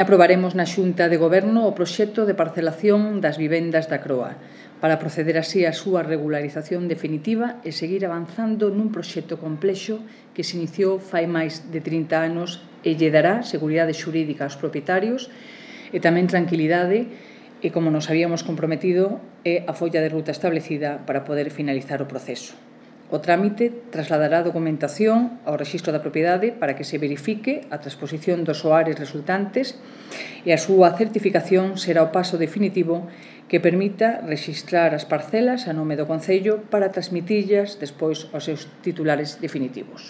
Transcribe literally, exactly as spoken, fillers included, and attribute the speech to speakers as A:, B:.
A: Aprobaremos na Xunta de Goberno o proxecto de parcelación das vivendas da Croa para proceder así á súa regularización definitiva e seguir avanzando nun proxecto complexo que se iniciou fai máis de trinta anos e lle dará seguridade xurídica aos propietarios e tamén tranquilidade e, como nos habíamos comprometido, é a folla de ruta establecida para poder finalizar o proceso. O trámite trasladará a documentación ao Rexistro da Propiedade para que se verifique a transposición dos soares resultantes e a súa certificación será o paso definitivo que permita rexistrar as parcelas a nome do Concello para transmitirlas despois aos seus titulares definitivos.